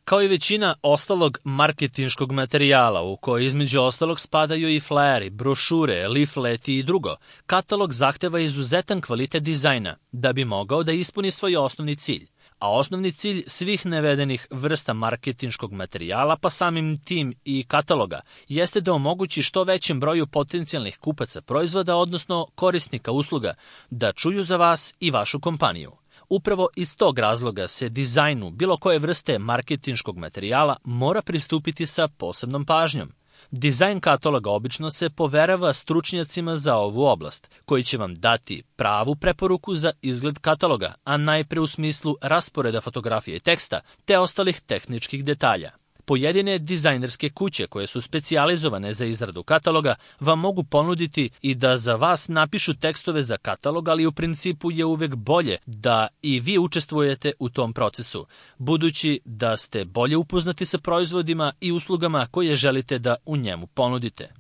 Kao i većina ostalog marketinškog materijala, u koji između ostalog spadaju i flyeri, brošure, leafleti i drugo, katalog zahteva izuzetan kvalitet dizajna da bi mogao da ispuni svoj osnovni cilj. A osnovni cilj svih navedenih vrsta marketinškog materijala, pa samim tim i kataloga, jeste da omogući što većem broju potencijalnih kupaca proizvoda, odnosno korisnika usluga, da čuju za vas i vašu kompaniju. Upravo iz tog razloga se dizajnu bilo koje vrste marketinškog materijala mora pristupiti sa posebnom pažnjom. Dizajn kataloga obično se poverava stručnjacima za ovu oblast, koji će vam dati pravu preporuku za izgled kataloga, a najpre u smislu rasporeda fotografije i teksta, te ostalih tehničkih detalja. Pojedine dizajnerske kuće koje su specijalizovane za izradu kataloga vam mogu ponuditi i da za vas napišu tekstove za katalog, ali u principu je uvek bolje da i vi učestvujete u tom procesu, budući da ste bolje upoznati sa proizvodima i uslugama koje želite da u njemu ponudite.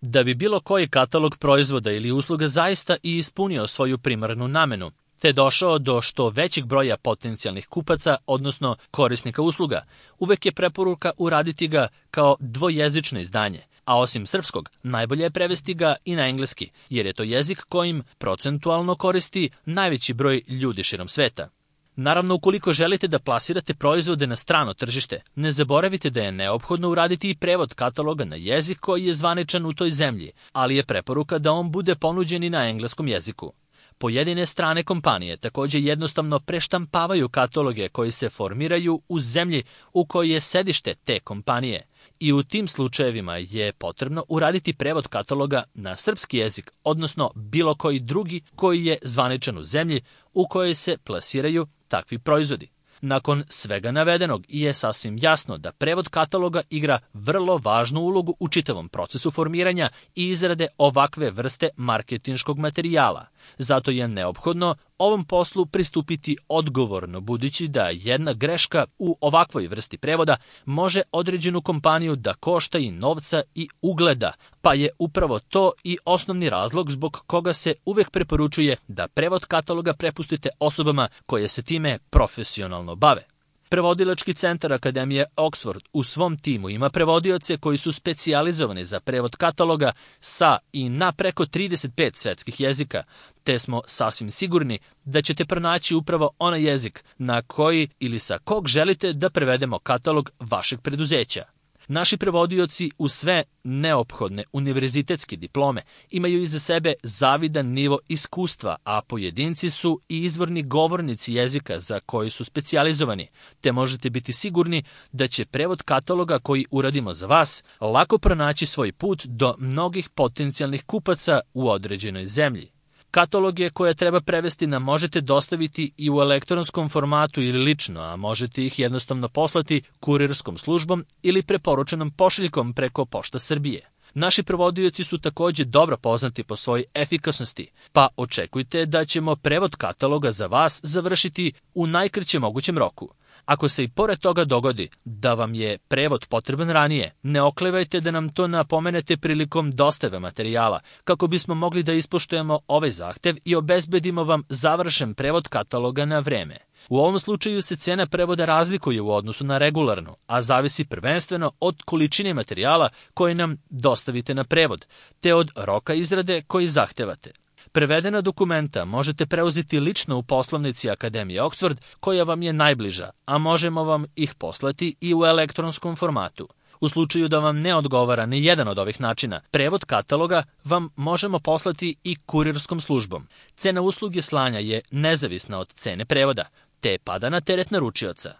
Da bi bilo koji katalog proizvoda ili usluga zaista i ispunio svoju primarnu namenu, te došao do što većeg broja potencijalnih kupaca, odnosno korisnika usluga, uvek je preporuka uraditi ga kao dvojezično izdanje, a osim srpskog, najbolje je prevesti ga i na engleski, jer je to jezik kojim procentualno koristi najveći broj ljudi širom sveta. Naravno, ukoliko želite da plasirate proizvode na strano tržište, ne zaboravite da je neophodno uraditi i prevod kataloga na jezik koji je zvaničan u toj zemlji, ali je preporuka da on bude ponuđen i na engleskom jeziku. Pojedine strane kompanije takođe jednostavno preštampavaju kataloge koji se formiraju u zemlji u kojoj je sedište te kompanije i u tim slučajevima je potrebno uraditi prevod kataloga na srpski jezik, odnosno bilo koji drugi koji je zvaničan u zemlji u kojoj se plasiraju takvi proizvodi. Nakon svega navedenog je sasvim jasno da prevod kataloga igra vrlo važnu ulogu u čitavom procesu formiranja i izrade ovakve vrste marketinškog materijala. Zato je neophodno ovom poslu pristupiti odgovorno, budući da jedna greška u ovakvoj vrsti prevoda može određenu kompaniju da košta i novca i ugleda, pa je upravo to i osnovni razlog zbog koga se uvek preporučuje da prevod kataloga prepustite osobama koje se time profesionalno bave. Prevodilački centar Akademije Oxford u svom timu ima prevodioce koji su specijalizovani za prevod kataloga sa i na preko 35 svetskih jezika, te smo sasvim sigurni da ćete pronaći upravo onaj jezik na koji ili sa kog želite da prevedemo katalog vašeg preduzeća. Naši prevodioci u sve neophodne univerzitetske diplome imaju iza sebe zavidan nivo iskustva, a pojedinci su i izvorni govornici jezika za koji su specijalizovani, te možete biti sigurni da će prevod kataloga koji uradimo za vas lako pronaći svoj put do mnogih potencijalnih kupaca u određenoj zemlji. Kataloge koje treba prevesti nam možete dostaviti i u elektronskom formatu ili lično, a možete ih jednostavno poslati kurirskom službom ili preporučenom pošiljkom preko Pošta Srbije. Naši prevodioci su takođe dobro poznati po svojoj efikasnosti, pa očekujte da ćemo prevod kataloga za vas završiti u najkraćem mogućem roku. Ako se i pored toga dogodi da vam je prevod potreban ranije, ne oklevajte da nam to napomenete prilikom dostave materijala, kako bismo mogli da ispoštujemo ovaj zahtev i obezbedimo vam završen prevod kataloga na vreme. U ovom slučaju se cena prevoda razlikuje u odnosu na regularnu, a zavisi prvenstveno od količine materijala koje nam dostavite na prevod, te od roka izrade koji zahtevate. Prevedena dokumenta možete preuzeti lično u poslovnici Akademije Oxford, koja vam je najbliža, a možemo vam ih poslati i u elektronskom formatu. U slučaju da vam ne odgovara ni jedan od ovih načina, prevod kataloga vam možemo poslati i kurirskom službom. Cena usluge slanja je nezavisna od cene prevoda, te pada na teret naručioca.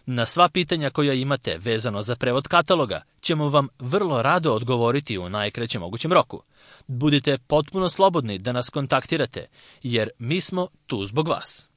Na sva pitanja koja imate vezano za prevod kataloga ćemo vam vrlo rado odgovoriti u najkraćem mogućem roku. Budite potpuno slobodni da nas kontaktirate, jer mi smo tu zbog vas.